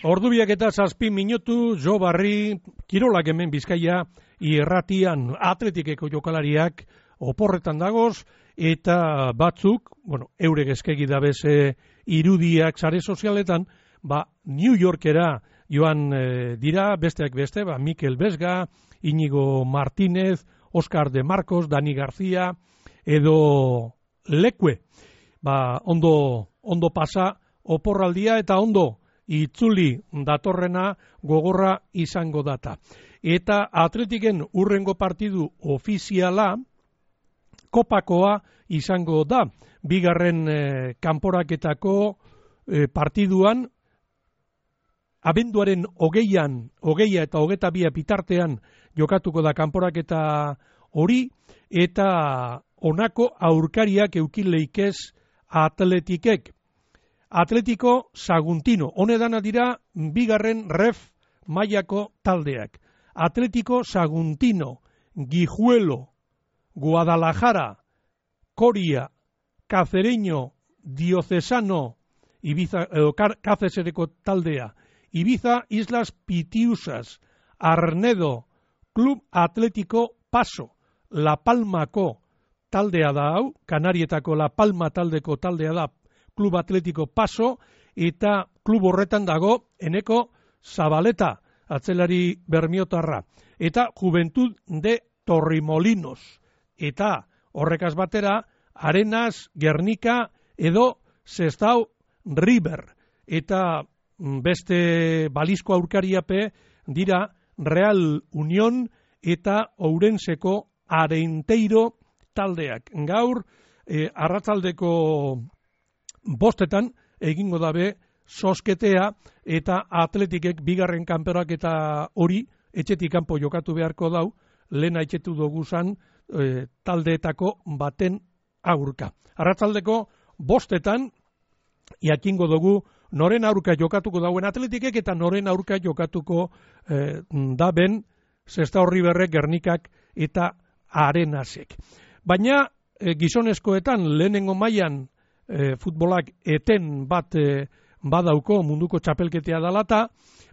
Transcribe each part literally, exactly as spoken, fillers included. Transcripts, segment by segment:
Ordubiak eta zazpi minutu, Jo Barri, Kirolak hemen Bizkaia, irratian Atletikeko jokalariak oporretan dagoz, eta batzuk, bueno, eurek eskegi dabeze irudiak sare sozialetan, ba, New Yorkera joan e, dira, besteak beste, ba, Mikel Besga, Inigo Martínez, Oscar de Marcos, Dani García, edo Lekue, ba, ondo, ondo pasa oporraldia eta ondo itzuli datorrena gogorra izango data. Eta Atletiken urrengo partidu ofiziala kopakoa izango da. Bigarren e, kanporaketako e, partiduan abenduaren hogeian, hogeia eta hogeta bia bitartean jokatuko da kanporaketa hori, eta honako aurkariak eukileikez Atletikek. Atletico Saguntino, honedana dira bigarren ref mailako taldeak. Atletico Saguntino, Guijuelo, Guadalajara, Coria, Cacereño, Diocesano, Ibiza, eh, Cácesereko taldea, Ibiza, Islas Pitiusas, Arnedo, Club Atlético Paso, La Palmako taldea da hau, Kanarietako La Palma taldeko taldea da Club Atlético Paso, eta klub horretan dago Eneko Zabaleta, atzelari bermiotarra, eta Juventud de Torremolinos, eta horrekaz batera Arenas, Gernika edo Sestao River, eta beste balizko aurkariape dira Real Unión eta Ourenseko Arenteiro taldeak. Gaur eh, arratsaldeko bostetan egingo dabe sosketea, eta Atletikek bigarren kanporaketa hori etxetik kanpo jokatu beharko dau, lehena etxetu doguzan e, taldeetako baten aurka. Arratsaldeko bostetan jakingo dugu noren aurka jokatuko dauen Atletikek eta noren aurka jokatuko e, daben Sestao Riverrek, Gernikak eta Arenasek. Baina e, gizonezkoetan lehenengo mailan E, futbolak eten bat e, badauko munduko txapelketea dalata,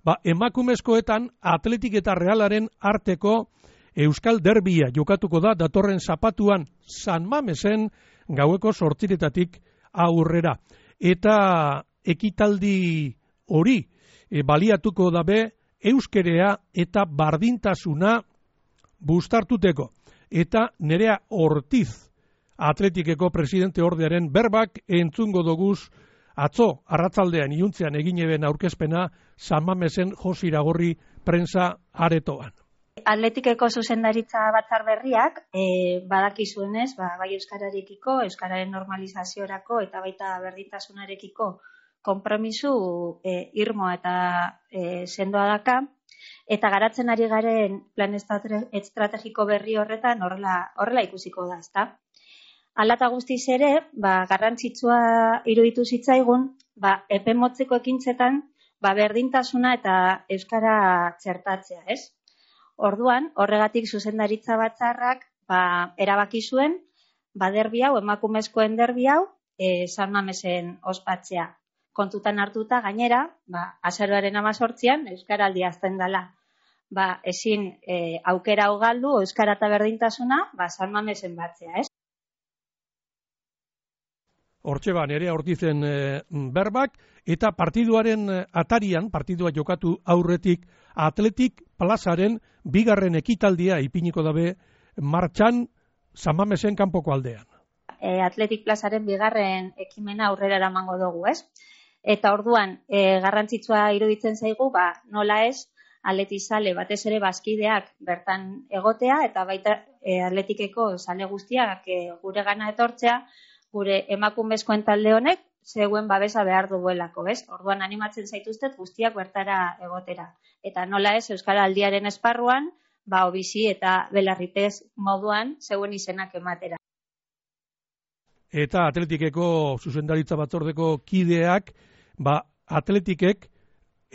ba, emakumezkoetan Atletik eta Realaren arteko Euskal Derbia jokatuko da datorren zapatuan San Mamesen gaueko sortziretatik aurrera. Eta ekitaldi hori e, baliatuko dabe euskerea eta bardintasuna bustartuteko. Eta Nerea Ortiz, Atletikeko presidente ordearen berbak entzungo doguz atzo arratzaldean iuntzean egin eben aurkezpena San Mamesen Josi Iragorri prensa aretoan. Atletikeko zuzendaritza batzar berriak e, badakizuenez, ba, bai euskararekiko, euskararen normalizaziorako eta baita berdintasunarekiko konpromisu e, irmoa eta e, sendoa daka, eta garatzen ari garen plan estrategiko berri horretan horrela, horrela ikusiko da, ezta? Alata guztiz ere, ba, garrantzitsua iruditu zitzaigun, ba, epe motzeko ekintzetan, ba, berdintasuna eta euskara txertatzea, ez? Orduan, horregatik zuzendaritza batzarrak, ba, erabaki zuen, ba, derbi hau, emakumezkoen derbi hau, e, San Mamesen ospatzea. Kontutan hartuta gainera, ba, azaroaren hamazortzian euskaraldi azten dela. Ba, ezin e, aukera hau galdu, euskara eta berdintasuna, ba, San Mamesen batzea, ez? Hortxe ba, Nerea Ortizen e, berbak, eta partiduaren atarian, partidua jokatu aurretik, Atletik plazaren bigarren ekitaldia ipiniko dabe martxan San Mamesen kanpoko aldean. E, Atletik plazaren bigarren ekimena aurrera eramango dugu, ez? Eta orduan, e, garrantzitsua iruditzen zaigu, ba, nola ez, atletizale batez ere bazkideak bertan egotea, eta baita e, Atletikeko zale guztiak e, gure gana etortzea, gure emakumezkoen talde honek zeuen babesa behar duguelako, bez? Orduan animatzen zaituztet guztiak bertara egotera. Eta nola ez, Euskaraldiaren esparruan, ba, obizi eta belarripez moduan zeuen izenak ematera. Eta Atletikeko zuzendaritza batzordeko kideak, ba, Atletikek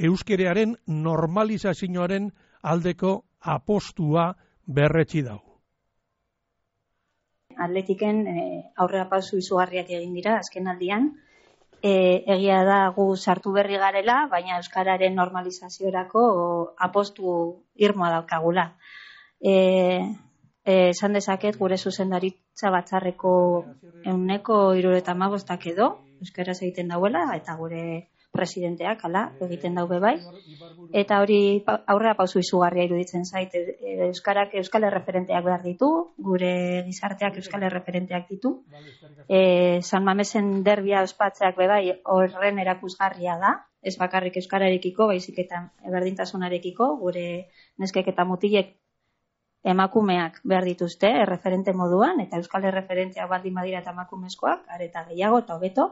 euskerearen normalizazioaren aldeko apostua berretsi dau. Atletiken e, aurrera pausu izugarriak egin dira azken aldian, e, egia da gu sartu berri garela, baina euskararen normalizaziorako apostu irmoa daukagula. E, e, esan dezaket gure zuzendaritza batzarreko ehuneko hirurogeita hamabostak edo euskaraz egiten dauela, eta gure presidenteak hala egiten daube bai. Eta hori aurrera pausu izugarria iruditzen zait. Euskarak euskal erreferenteak behar ditu, gure gizarteak euskal erreferenteak ditu. E, San Mamesen derbia ospatzeak be bai horren erakusgarria da, ez bakarrik euskararekiko, baizik eta berdintasunarekiko, gure neskek eta mutilek emakumeak behar dituzte erreferente moduan, eta euskal erreferenteak baldin badira eta emakumezkoak, areta gehiago eta hobeto.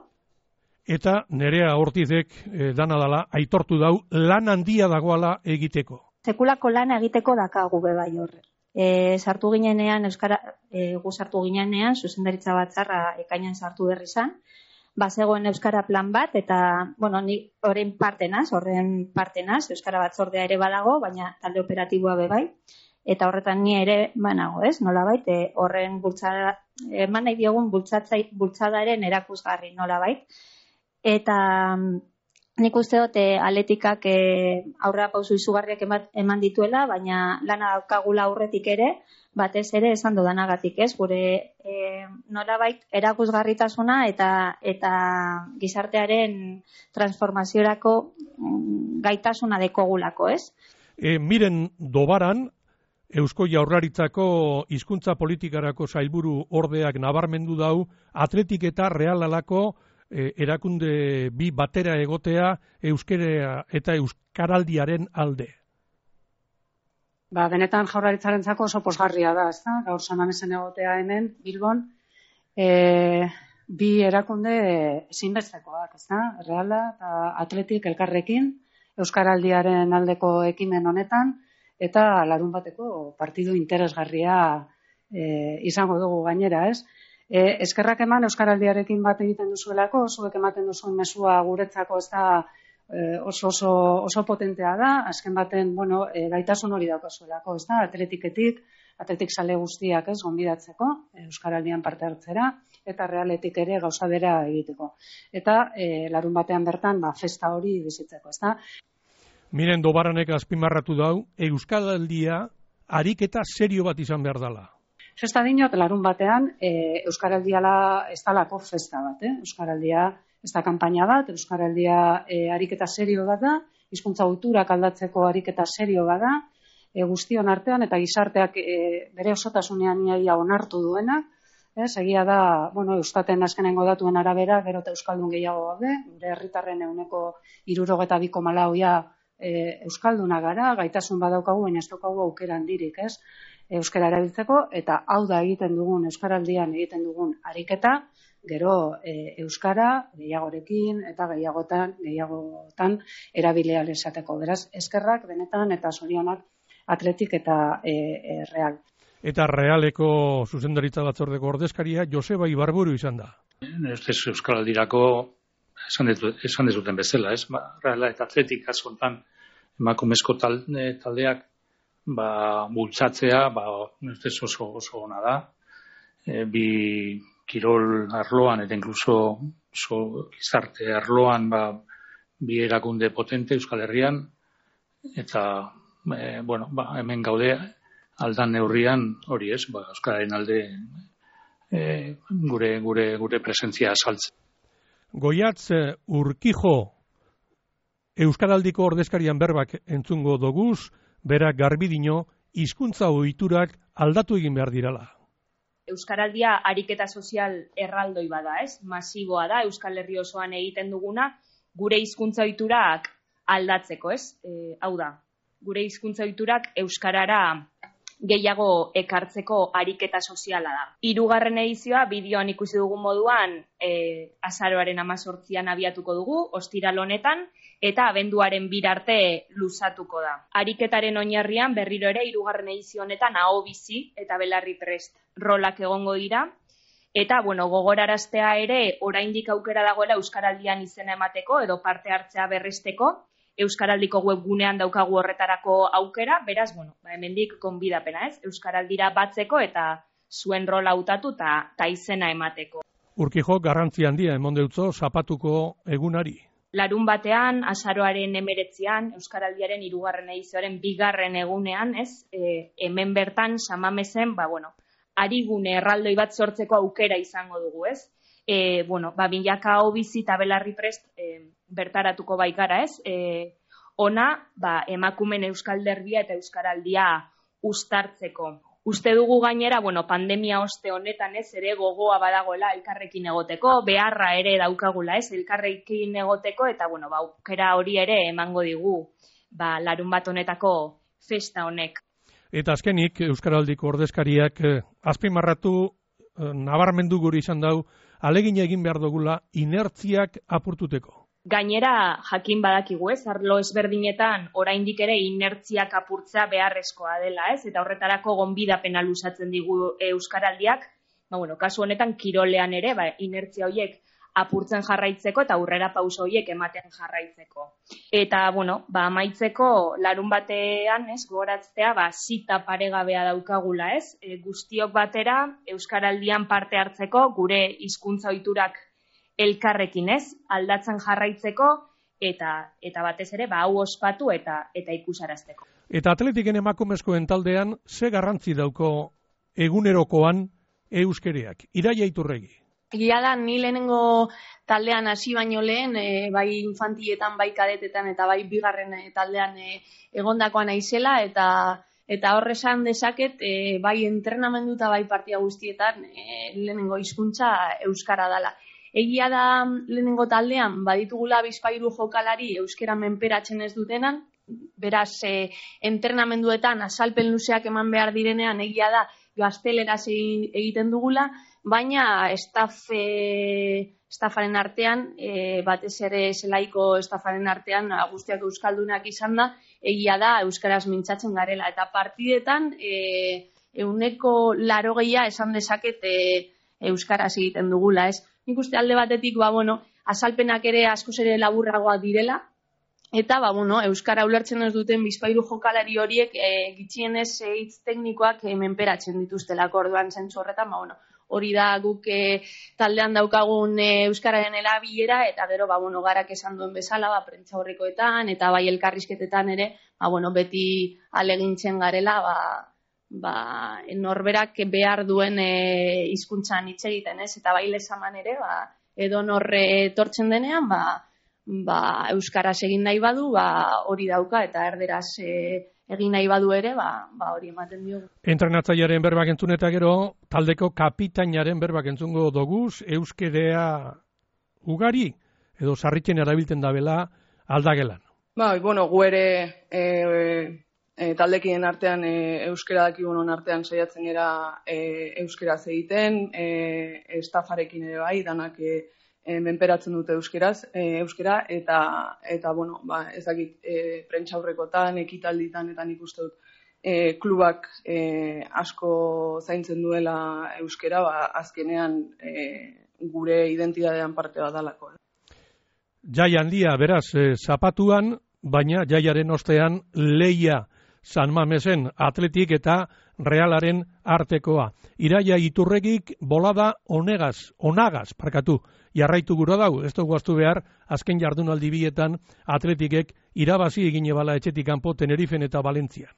Eta Nerea Ortizek eh, dana dala aitortu dau lan handia dagoala egiteko. Sekulako lana egiteko dakagu be bai horre. E, sartu ginenean, euskara, e, gu sartu ginenean, zuzendaritza batzarra ekainan sartu berri zan, bazegoen euskara plan bat, eta, bueno, ni horren partenaz, horren partenaz, euskara batzordea ere badago, baina talde operatiboa be bai, eta horretan ni ere banago, ez? Nolabait, e, horren bultzada, eman nahi diogun bultzadaren erakusgarri nolabait. Eta nik uste dut Atletikak e, aurrera pausu izugarriak eman dituela, baina lana daukagula aurretik ere, batez ere esan dudanagatik, ez? Gure e, nolabait erakusgarritasuna eta eta gizartearen transformaziorako gaitasuna dekogulako, ez? E, miren Dobaran, Eusko Jaurlaritzako hizkuntza politikarako sailburu ordeak nabarmendu dau, Atletik eta Realalako E, erakunde bi batera egotea euskera eta euskaraldiaren alde. Ba, benetan Jaurlaritzarentzako oso posgarria da, ezta? Gaur San Mamesen egotea hemen Bilbon, e, bi erakunde ezinbestekoak, ezta? Reala eta Atletik elkarrekin euskaraldiaren aldeko ekimen honetan eta larun bateko partidu interesgarria e, izango dugu gainera, ez? E, eskerrak eman euskaraldiarekin bat egiten duzuelako, zuek ematen duzuen mezua guretzako ez da e, oso, oso, oso potentea da, azken baten, bueno, e, gaitasun hori daukazuelako, ez da, atletiketik, atletik sale guztiak ez, gonbidatzeko, euskaraldian parte hartzera, eta Realetik ere gauza bera egiteko. Eta e, larun batean bertan, ba, festa hori bizitzeko, ez da. Miren Dobaranek azpimarratu dau, euskaraldia ariketa serio bat izan behar dela. Festa dinot, larun batean, e, Euskaraldiala ez dalako festa bat, eh? Euskaraldia ez da kanpaina bat, Euskaraldia e, ariketa serio bat da, hizkuntza ohiturak aldatzeko ariketa serio bat da, e, guztion artean eta gizarteak e, bere osotasunean iaia onartu duenak, ez? Egia da, bueno, Eustaten azkenengo datuen arabera, gero eta euskaldun gehiago gaude, gure herritarren ehuneko hirurogeita bi koma lauia e, euskalduna gara, gaitasun badaukagu, baina ez daukagu aukera handirik, ez? Euskara erabiltzeko, eta hau da egiten dugun, euskaraldian egiten dugun ariketa, gero e, euskara gehiagorekin eta gehiagotan, gehiagotan erabilia esateko. Beraz, eskerrak benetan eta zorionak Atletik eta e, e, Real. Eta Realeko zuzendaritza batzordeko ordezkaria Joseba Ibarburu izan da. Ez euskaraldirako esan dezuten bezala, ez? Ba, Reala eta Atletik azkontan emakumezko talde, taldeak ba, bultzatzea, ba, ez oso, oso ona da. E, bi kirol arloan, eta inkluso oso gizarte arloan, ba, bi erakunde potente Euskal Herrian, eta, e, bueno, ba, hemen gaude aldan neurrian hori ez, ba, Euskararen alde e, gure, gure, gure presentzia asaltzen. Goiatz Urkijo Euskaraldiko ordezkarian berbak entzungo doguz, berak garbidino, hizkuntza ohiturak aldatu egin behar dirala. Euskaraldia ariketa sozial erraldoi bada, ez? Masiboa da, Euskal Herri osoan egiten duguna, gure hizkuntza ohiturak aldatzeko, ez? E, hau da, gure hizkuntza ohiturak euskarara gehiago ekartzeko ariketa soziala da. Hirugarren edizioa bideoan ikusi dugun moduan e, azaroaren hemezortzian abiatuko dugu, ostiral honetan, eta abenduaren bir arte luzatuko da. Ariketaren oinarrian berriro ere hirugarren edizio honetan aho bizi eta belarri prest rolak egongo dira. Eta, bueno, gogoraraztea ere, oraindik aukera dagoela Euskaraldian izena emateko edo parte hartzea berresteko, Euskaraldiko webgunean daukagu horretarako aukera, beraz, bueno, ba, hemendik gonbidapena, ez? Euskaraldira batzeko eta zuen rola hautatu eta izena emateko. Urkijo garrantzi handia emon deutzo zapatuko egunari. Larun batean, azaroaren emeretzian, Euskaraldiaren hirugarren edizioaren bigarren egunean, ez, e, hemen bertan, Samamezen, ba, bueno, arigune erraldoi bat sortzeko aukera izango dugu, ez? E, bueno, ba, bilaka hau bizi eta belarri prest e, bertaratuko baikara, ez? E, ona, ba, emakumen Euskal Derbia eta Euskaraldia uztartzeko. Uste dugu gainera, bueno, pandemia oste honetan, ez, ere gogoa badagoela elkarrekin egoteko, beharra ere daukagula, ez, elkarrekin egoteko, eta, bueno, ba, aukera hori ere emango digu, ba, larun bat honetako festa honek. Eta azkenik, Euskaraldiko ordezkariak eh, azpimarratu eh, nabarmendu guri izan dau, alegin egin behar dugula inertziak apurtuteko. Gainera, jakin badakigu, ez, arlo ezberdinetan oraindik ere inertziak apurtzea beharrezkoa dela, ez, eta horretarako gonbidapena luzatzen digu Euskaraldiak, ba, bueno, kasu honetan kirolean ere, ba, inertzia horiek apurtzen jarraitzeko eta aurrera pauso horiek ematen jarraitzeko. Eta, bueno, ba, amaitzeko larun batean, ez, gogoratzea, ba, zita paregabea daukagula, ez, e, guztiok batera Euskaraldian parte hartzeko gure hizkuntza ohiturak elkarrekin, ez, aldatzen jarraitzeko eta eta batez ere ba hau ospatu eta eta ikusarazteko. Eta atletiken emakumezkoen taldean ze garrantzi dauko egunerokoan euskereak? Iraia Iturregi. Egia da, ni lehenengo taldean hasi baino lehen, e, bai infantietan, bai kadetetan eta bai bigarren e, taldean e, egondakoa naizela eta eta hor esan dezaket e, bai entrenamendu eta bai partida guztietan e, lehenengo hizkuntza euskara dela. Egia da lehenengo taldean, baditugula bizpahiru jokalari euskera menperatzen ez dutenan, beraz, e, entrenamenduetan azalpen luzeak eman behar direnean, egia da gazteleraz egiten dugula, baina estaf, e, estafaren artean, e, batez ere zelaiko estafaren artean, guztiak euskaldunak izan da, egia da euskaraz mintzatzen garela. Eta partidetan, e, euneko larogeia esan dezaket e, euskaraz egiten dugula, ez? Nik uste alde batetik, ba, bueno, azalpenak ere askoz ere laburragoak direla, eta, ba, bueno, euskara ulertzen ez duten bizpahiru jokalari horiek e, gitxienez e, hitz teknikoak e, menperatzen dituztelako orduan zentzu horretan, ba, bueno, hori da guk e, taldean daukagun e, euskararen erabilera, eta gero, ba, bueno, garak esan duen bezala, ba, prentza horrekoetan, eta bai elkarrizketetan ere, ba, bueno, beti alegintzen garela, ba, ba, norberak behar duen e, hizkuntzan hitz egiten, ez? Eta bai lezaman ere, ba, edo norre etortzen denean, ba, ba, euskaraz egin nahi badu, ba, hori dauka, eta erderaz e, egin nahi badu ere, ba, ba, hori ematen diogu. Entrenatzailearen berbak entzun eta gero, taldeko kapitainaren berbak entzungo doguz, euskerea ugari, edo sarritzen erabiltzen dabela aldagelan. Ba, bueno, gu ere e, E, taldekien artean e, euskera dakigun artean saiatzen era e, euskeraz egiten, e, estafarekin ere bai, danak e, e, menperatzen dute euskeraz, e, euskera, eta, eta bueno, ba, ez dakit, e, prentxaurrekotan, ekitalditan, eta nik uste dut, e, klubak e, asko zaintzen duela euskera, ba, azkenean e, gure identidadean parte bat dalako. Jai handia, beraz, e, zapatuan, baina jaiaren ostean leia San Mamesen Atletik eta Realaren artekoa. Iraia Iturregik bolada onegaz, onagaz, parkatu, jarraitu gura dau, ez dugu aztu behar, azken jardunaldi bietan Atletikek irabazi egine bala etxetik kanpo Tenerifen eta Valentzian.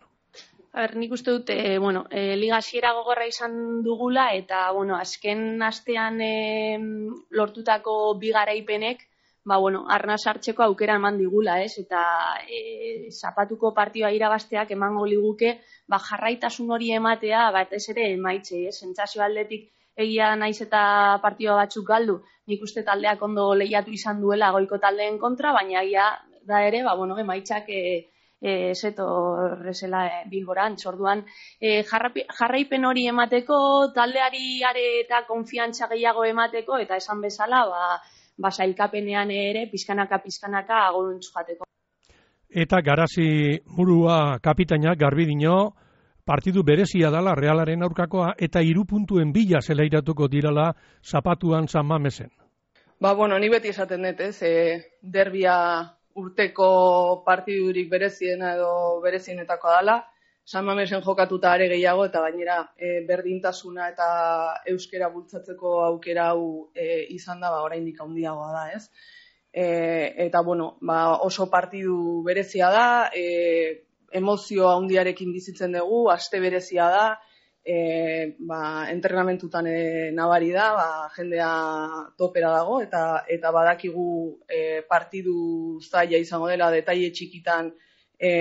Ber, nik uste dut, e, bueno, e, liga hasiera gogorra izan dugula, eta, bueno, azken astean e, lortutako bi garaipenek, ba, bueno, arna sartzeko aukera eman digula, ez? Eta e, zapatuko partioa irabazteak emango liguke, ba, jarraitasun hori ematea, batez ere emaitze, ez? Sentsazio aldetik egia naiz eta partioa batzuk galdu. Nik uste taldeak ondo lehiatu izan duela goiko taldeen kontra, baina egia da ere, ba, bueno, emaitzak e, e, zeto rezela e, Bilborantz. Orduan, e, jarraipen hori emateko, taldeari are eta konfiantza gehiago emateko, eta esan bezala, ba, ba, sailkapenean ere, pizkanaka-pizkanaka agoruntz jateko. Eta Garazi Murua kapitaina garbi dino, partidu berezia dala Realaren aurkakoa, eta hiru puntuen bila zelairatuko dirala zapatuan San Mamesen. Ba, bueno, ni beti esaten dut, ez, e, derbia urteko partidurik bereziena edo berezienetakoa dala, San Mamesen jokatuta are gehiago, eta gainera e, berdintasuna eta euskera bultzatzeko aukera hau e, izan da, ba, oraindik handiagoa da, ez? E, eta, bueno, ba, oso partidu berezia da, e, emozio handiarekin bizitzen dugu, aste berezia da, e, ba, entrenamentutan e, nabari da, ba, jendea topera dago, eta, eta badakigu e, partidu zaila izango dela, detaile txikitan e,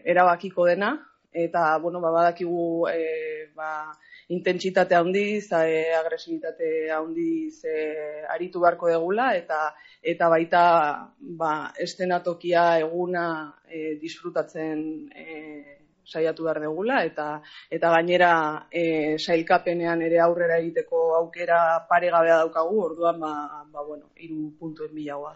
erabakiko dena, eta, bueno, ba, badakigu e, ba, intentsitate handiz, e, agresibitate handiz e, aritu beharko degula, eta eta baita ba, estenatokia eguna e, disfrutatzen e, saiatu behar degula, eta eta gainera e, sailkapenean ere aurrera egiteko aukera paregabea daukagu, orduan, ba, ba bueno, hiru puntuen bilagoa.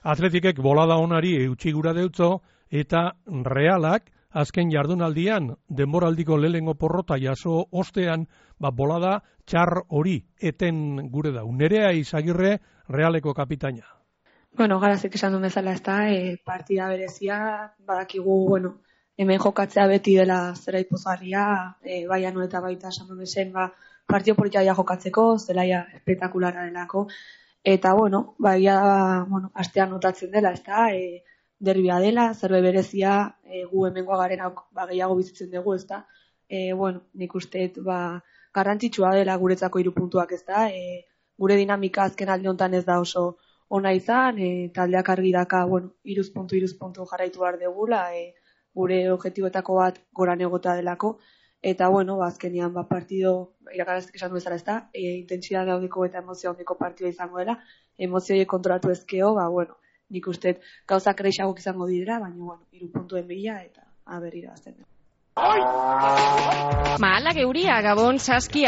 Atletikek bolada onari eutxi gura deutzo, eta Realak azken jardunaldian, denboraldiko lehengo porrota jaso ostean, ba, bolada txar hori eten gure dau. Nerea Izagirre, Realeko kapitaina. Bueno, Garazik esan duen bezala, ez da, e, partida berezia, badakigu, bueno, hemen jokatzea beti dela zera ipozgarria, e, bai anu eta baita esan duen zen, ba, partio politia jokatzeko, zelaia espektakulara delako, eta, bueno, bai, ba, bueno, astean notatzen dela, ez da, e, derbia dela, zerbe berezia, e, gu hemengoa garen ba, gehiago bizitzen dugu, ez da. E, bueno, nik uste, ba, garrantzitsua dela guretzako hiru puntuak, ez da. E, gure dinamika azken aldi honetan ez da oso ona izan, e, taldeak argi daka, bueno, iruz puntu, iruz puntu jarraitu behar degula, e, gure objektiboetako bat goran egota delako, eta, bueno, ba, azkenean, ba, partido, irakaraztik esan du bezala, ez da, e, intentsitate handiko eta emozio handiko partidua izango dela, emozioiek kontrolatu ezkeo, ba, bueno, nik uste gauzak erreixagok izango dira, baina, bueno, hiru puntuen bila eta aberrira bazten. Mahalak euria, Gabon, Saskia.